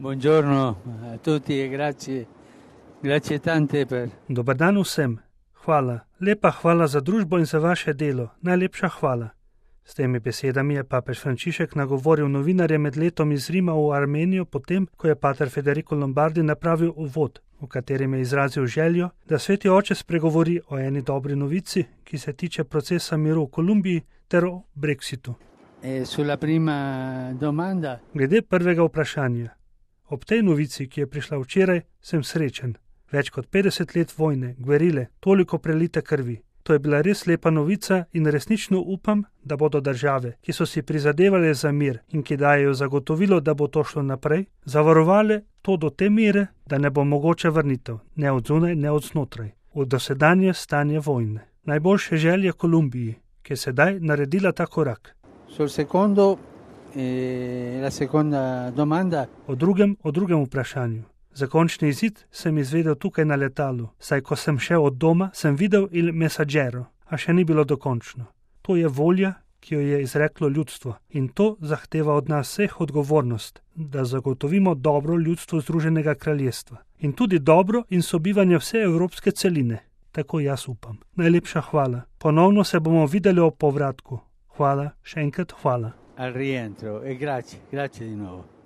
Buongiorno a tutti e grazie tante per... Dobar dan vsem. Hvala. Lepa hvala za družbo in za vaše delo. Najlepša hvala. S temi besedami je papež Frančišek nagovoril novinarje med letom iz Rima v Armenijo potem, ko je pater Federico Lombardi napravil uvod, v katerem je izrazil željo, da sveti oče spregovori o eni dobri novici, ki se tiče procesa miru v Kolumbiji ter o Brexitu. Sulla prima domanda... Glede prvega vprašanja. Ob tej novici, ki je prišla včeraj, sem srečen. Več kot 50 let vojne, gverile, toliko prelite krvi. To je bila res lepa novica in resnično upam, da bodo države, ki so si prizadevali za mir in ki dajejo zagotovilo, da bo to šlo naprej, zavarovale to do te mere, da ne bo mogoče vrnitev, ne od zunaj, ne od znotraj, v dosedanje stanje vojne. Najboljše želje Kolumbiji, ki je sedaj naredila ta korak. La seconda domanda. O drugem vprašanju. Za končni izid sem izvedel tukaj na letalu, saj ko sem šel od doma, sem videl Il Messaggero, a še ni bilo dokončno. To je volja, ki jo je izreklo ljudstvo in to zahteva od nas vseh odgovornost, da zagotovimo dobro ljudstvu Združenega kraljestva in tudi dobro in sobivanje vse evropske celine. Tako jaz upam. Najlepša hvala. Ponovno se bomo videli ob povratku. Hvala, še enkrat hvala. Al rientro e grazie di nuovo.